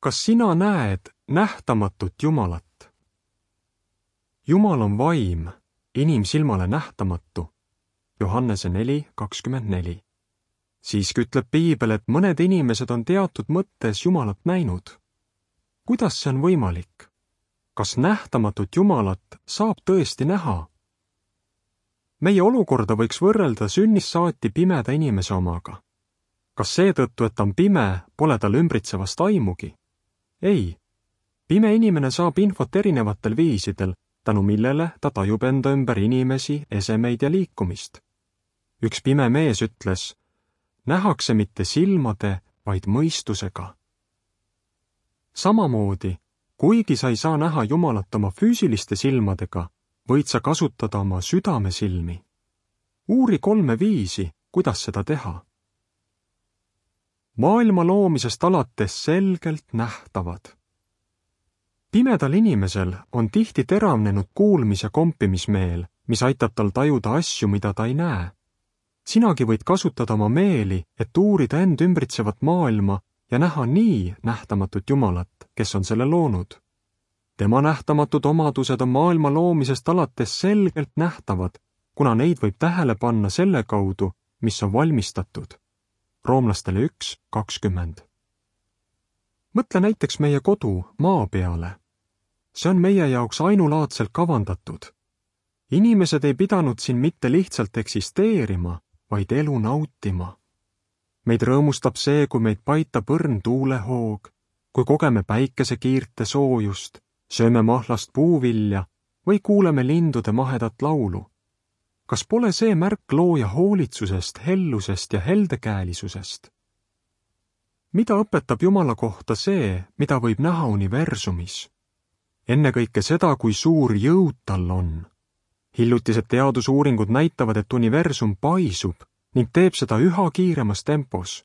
Kas sina näed nähtamatut Jumalat? Jumal on vaim, inimsilmale nähtamatu. Johannese 4:24. Siiski ütleb Piibel, et mõned inimesed on teatud mõttes Jumalat näinud. Kuidas see on võimalik? Kas nähtamatut Jumalat saab tõesti näha? Meie olukorda võiks võrrelda sünnist saati pimeda inimese omaga. Kas seetõttu, et ta on pime, pole tal ümbritsevast aimugi? Ei. Pime inimene saab infot erinevatel viisidel, tänu millele ta tajub enda ümber inimesi, esemeid ja liikumist. Üks pime mees ütles, nähakse mitte silmade, vaid mõistusega. Samamoodi, kuigi sa ei saa näha Jumalat oma füüsiliste silmadega, võid sa kasutada oma südamesilmi. Uuri 3 viisi, kuidas seda teha. Maailma loomisest alates selgelt nähtavad. Pimedal inimesel on tihti teravnenud kuulmis- ja kompimismeel, mis aitab tal tajuda asju, mida ta ei näe. Sinagi võid kasutada oma meeli, et uurida end ümbritsevat maailma ja näha nii nähtamatut Jumalat, kes on selle loonud. Tema nähtamatud omadused on maailma loomisest alates selgelt nähtavad, kuna neid võib tähele panna selle kaudu, mis on valmistatud. Roomlastele 1:20. Mõtle näiteks meie kodu maa peale. See on meie jaoks ainulaadselt kavandatud. Inimesed ei pidanud siin mitte lihtsalt eksisteerima, vaid elu nautima. Meid rõõmustab see, kui meid paitab õrn tuulehoog, kui kogeme päikesekiirte soojust, sööme mahlast puuvilja või kuuleme lindude mahedat laulu. Kas pole see märk looja hoolitsusest, hellusest ja heldekäelisusest? Mida õpetab Jumala kohta see, mida võib näha universumis? Ennekõike seda, kui suur jõud tal on. Hiljutised teadusuuringud näitavad, et universum paisub ning teeb seda üha kiiremas tempos.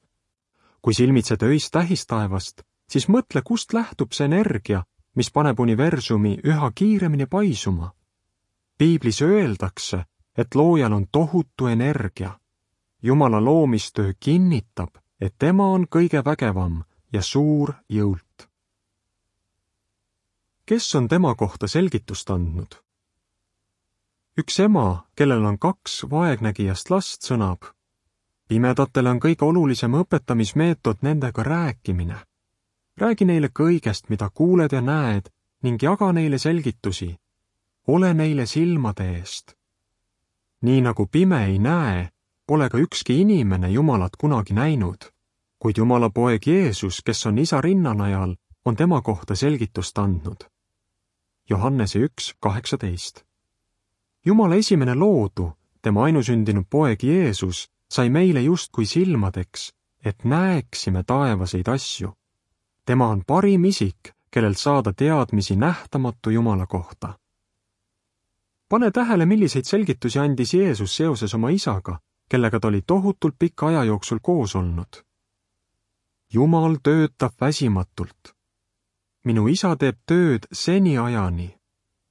Kui silmitsed öist tähistaevast, siis mõtle, kust lähtub see energia, mis paneb universumi üha kiiremini paisuma. Piiblis öeldakse, et loojal on tohutu energia. Jumala loomistöö kinnitab, et tema on kõige vägevam ja suur jõult. Kes on tema kohta selgitust andnud? Üks ema, kellel on 2 vaegnägijast last, sõnab, pimedatele on kõige olulisem õpetamismeetod nendega rääkimine. Räägi neile kõigest, mida kuuled ja näed, ning jaga neile selgitusi. Ole neile silmade eest. Nii nagu pime ei näe, pole ka ükski inimene Jumalat kunagi näinud, kuid Jumala poeg Jeesus, kes on isa rinnanajal, on tema kohta selgitust andnud. Johannese 1:18. Jumala esimene loodu, tema ainusündinud poeg Jeesus, sai meile justkui silmadeks, et näeksime taevaseid asju. Tema on parim isik, kellelt saada teadmisi nähtamatu Jumala kohta. Pane tähele, milliseid selgitusi andis Jeesus seoses oma isaga, kellega ta oli tohutult pika aja jooksul koos olnud. Jumal töötab väsimatult. Minu isa teeb tööd seniajani.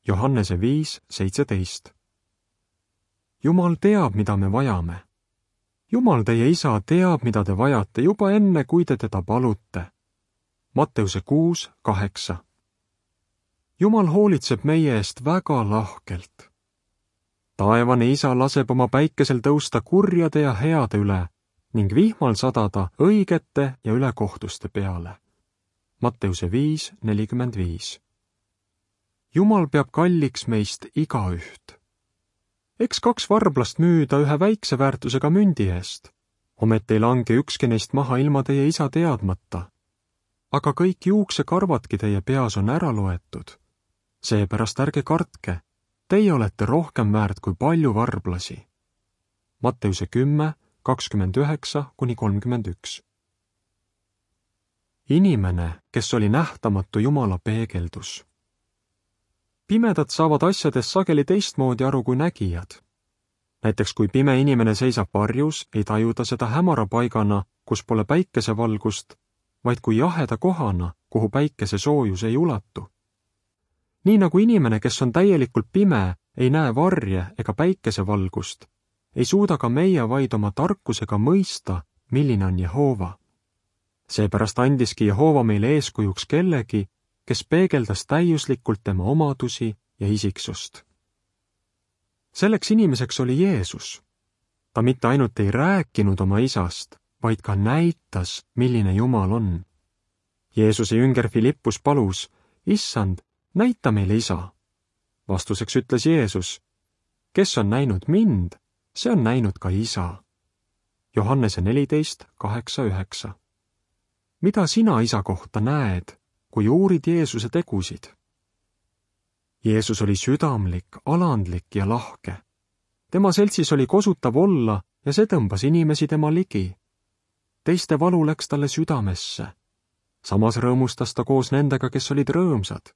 Johannese 5:17. Jumal teab, mida me vajame. Jumal, teie isa, teab, mida te vajate juba enne, kui te teda palute. Matteuse 6:8. Jumal hoolitseb meie eest väga lahkelt. Taevane isa laseb oma päikesel tõusta kurjade ja heade üle ning vihmal sadada õigete ja ülekohtuste peale. Matteuse 5:45. Jumal peab kalliks meist igaüht. Eks 2 varblast müüda ühe väikse väärtusega mündi eest. Ometi ei lange ükski neist maha ilma teie isa teadmata. Aga kõik juuksekarvadki teie peas on ära loetud. Seepärast ärge kartke, teie olete rohkem väärt kui palju varblasi. Matteuse 10:29-31. Inimene, kes oli nähtamatu Jumala peegeldus. Pimedad saavad asjadest sageli teistmoodi aru kui nägijad. Näiteks kui pime inimene seisab varjus, ei taju ta seda hämara paigana, kus pole päikesevalgust, vaid kui jaheda kohana, kuhu päikese soojus ei ulatu. Nii nagu inimene, kes on täielikult pime, ei näe varje ega päikesevalgust, ei suuda ka meie vaid oma tarkusega mõista, milline on Jehova. Seepärast andiski Jehova meile eeskujuks kellegi, kes peegeldas täiuslikult tema omadusi ja isiksust. Selleks inimeseks oli Jeesus. Ta mitte ainult ei rääkinud oma isast, vaid ka näitas, milline Jumal on. Jeesuse jünger Filippus palus, Issand, näita meile isa. Vastuseks ütles Jeesus, kes on näinud mind, see on näinud ka isa. Johannese 14:8-9. Mida sina isa kohta näed, kui uurid Jeesuse tegusid? Jeesus oli südamlik, alandlik ja lahke. Tema seltsis oli kosutav olla ja see tõmbas inimesi tema ligi. Teiste valu läks talle südamesse. Samas rõõmustas ta koos nendega, kes olid rõõmsad.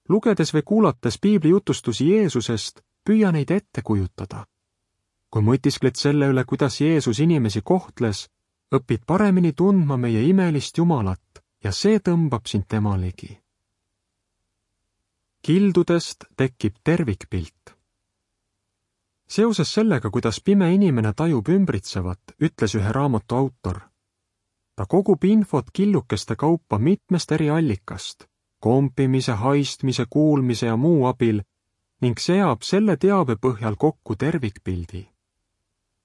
Lugedes või kuulates piibli jutustusi Jeesusest, püüa neid ette kujutada. Kui mõtiskled selle üle, kuidas Jeesus inimesi kohtles, õpid paremini tundma meie imelist Jumalat ja see tõmbab sind tema ligi. Kildudest tekib tervikpilt. Seoses sellega, kuidas pime inimene tajub ümbritsevat, ütles ühe raamatu autor. Ta kogub infot killukeste kaupa mitmest eri allikast, kompimise, haistmise, kuulmise ja muu abil ning seab selle teabe põhjal kokku tervikpildi.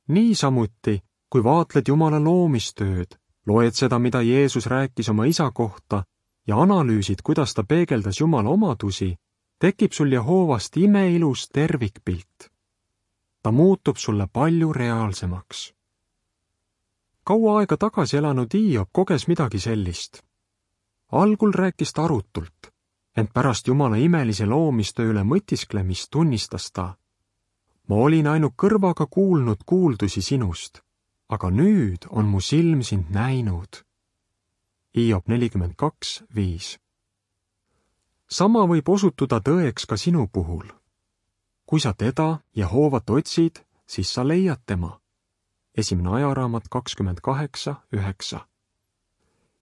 Niisamuti, kui vaatled Jumala loomistööd, loed seda, mida Jeesus rääkis oma isa kohta ja analüüsid, kuidas ta peegeldas Jumala omadusi, tekib sul Jehovast imeilus tervikpilt. Ta muutub sulle palju reaalsemaks. Kaua aega tagasi elanud Hiob koges midagi sellist. Algul rääkis ta arutult, ent pärast Jumala imelise loomistöö üle mõtisklemist tunnistas ta, ma olin ainult kõrvaga kuulnud kuuldusi sinust, aga nüüd on mu silm sind näinud. Hiob 42:5. Sama võib osutuda tõeks ka sinu puhul. Kui sa teda, Jehovat otsid, siis sa leiad tema. 1. ajaraamat 28:9.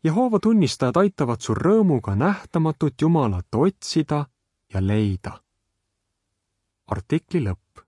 Jehova tunnistajad aitavad sul rõõmuga nähtamatut Jumalat otsida ja leida. Artikli lõpp.